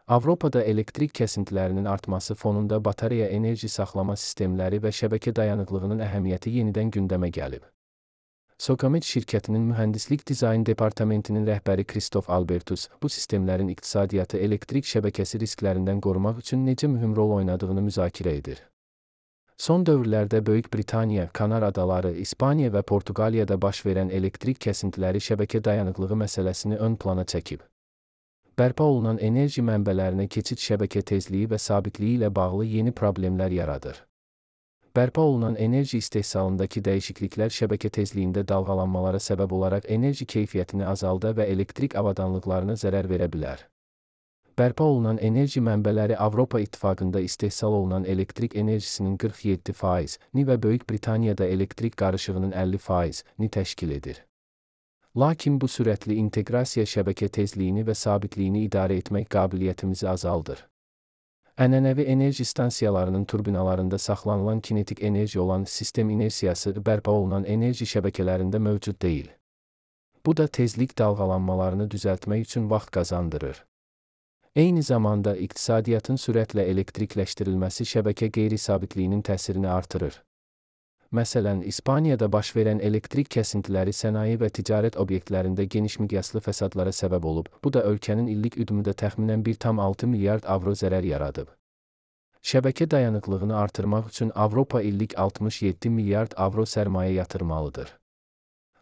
Avropada elektrik kəsintilərinin artması fonunda batareya enerji saxlama sistemləri və şəbəkə dayanıqlığının əhəmiyyəti yenidən gündəmə gəlib. Socamet şirkətinin mühəndislik dizayn departamentinin rəhbəri Kristof Albertus, bu sistemlərin iqtisadiyyatı elektrik şəbəkəsi risklərindən qorumaq üçün necə mühüm rol oynadığını müzakirə edir. Son dövrlərdə Böyük Britaniya, Kanar Adaları, İspaniya və Portuqaliyada baş verən elektrik kəsintiləri şəbəkə dayanıqlığı məsələsini ön plana çəkib. Bərpa olunan enerji mənbələrinə keçid şəbəkə tezliyi və sabitliyi ilə bağlı yeni problemlər yaradır. Bərpa olunan enerji istehsalındakı dəyişikliklər şəbəkə tezliyində dalğalanmalara səbəb olaraq enerji keyfiyyətini azalda və elektrik avadanlıqlarına zərər verə bilər. Bərpa olunan enerji mənbələri Avropa İttifaqında istehsal olunan elektrik enerjisinin 47%-ni və Böyük Britaniyada elektrik qarışığının 50%-ni təşkil edir. Lakin bu sürətli inteqrasiya şəbəkə tezliyini və sabitliyini idarə etmək qabiliyyətimizi azaldır. Ənənəvi enerji stansiyalarının turbinalarında saxlanılan kinetik enerji olan sistem inersiyası bərpa olunan enerji şəbəkələrində mövcud deyil. Bu da tezlik dalğalanmalarını düzəltmək üçün vaxt qazandırır. Eyni zamanda iqtisadiyyatın sürətlə elektrikləşdirilməsi şəbəkə qeyri-sabitliyinin təsirini artırır. Məsələn, İspaniyada baş verən elektrik kəsintiləri sənaye və ticarət obyektlərində geniş miqyaslı fəsadlara səbəb olub. Bu da ölkənin illik üdümündə təxminən 1,6 milyard avro zərər yaradıb. Şəbəkə dayanıqlığını artırmaq üçün Avropa illik 67 milyard avro sərmayə yatırmalıdır.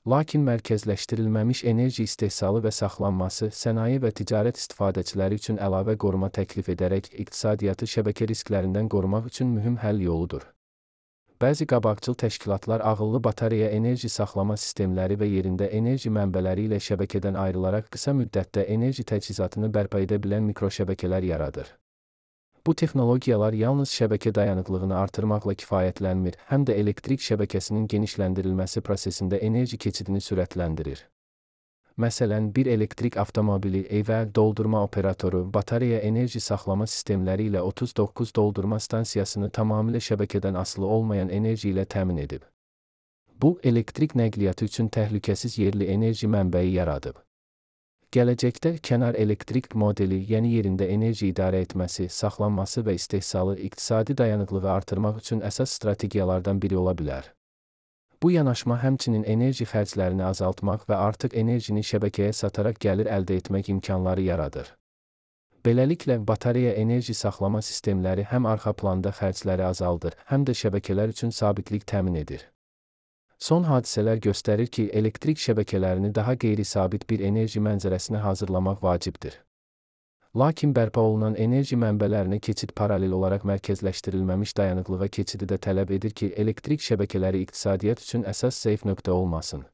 Lakin mərkəzləşdirilməmiş enerji istehsalı və saxlanması sənaye və ticarət istifadəçiləri üçün əlavə qoruma təklif edərək iqtisadiyyatı şəbəkə risklərindən qorumaq üçün mühüm həll yoludur. Bəzi qabaqcıl təşkilatlar ağıllı batareya enerji saxlama sistemləri və yerində enerji mənbələri ilə şəbəkədən ayrılaraq qısa müddətdə enerji təchizatını bərpa edə bilən mikroşəbəkələr yaradır. Bu texnologiyalar yalnız şəbəkə dayanıqlığını artırmaqla kifayətlənmir, həm də elektrik şəbəkəsinin genişləndirilməsi prosesində enerji keçidini sürətləndirir. Məsələn, bir elektrik avtomobili, evə doldurma operatoru, batareya enerji saxlama sistemləri ilə 39 doldurma stansiyasını tamamilə şəbəkədən asılı olmayan enerji ilə təmin edib. Bu, elektrik nəqliyyatı üçün təhlükəsiz yerli enerji mənbəyi yaradıb. Gələcəkdə kənar elektrik modeli, yəni yerində enerji idarə etməsi, saxlanması və istehsalı iqtisadi dayanıqlığı artırmaq üçün əsas strategiyalardan biri ola bilər. Bu yanaşma həmçinin enerji xərclərini azaltmaq və artıq enerjini şəbəkəyə sataraq gəlir əldə etmək imkanları yaradır. Beləliklə, batareya enerji saxlama sistemləri həm arxa planda xərcləri azaldır, həm də şəbəkələr üçün sabitlik təmin edir. Son hadisələr göstərir ki, elektrik şəbəkələrini daha qeyri-sabit bir enerji mənzərəsinə hazırlamaq vacibdir. Lakin bərpa olunan enerji mənbələrinə keçid paralel olaraq mərkəzləşdirilməmiş dayanıqlığa keçidi də tələb edir ki, elektrik şəbəkələri iqtisadiyyat üçün əsas zəif nöqtə olmasın.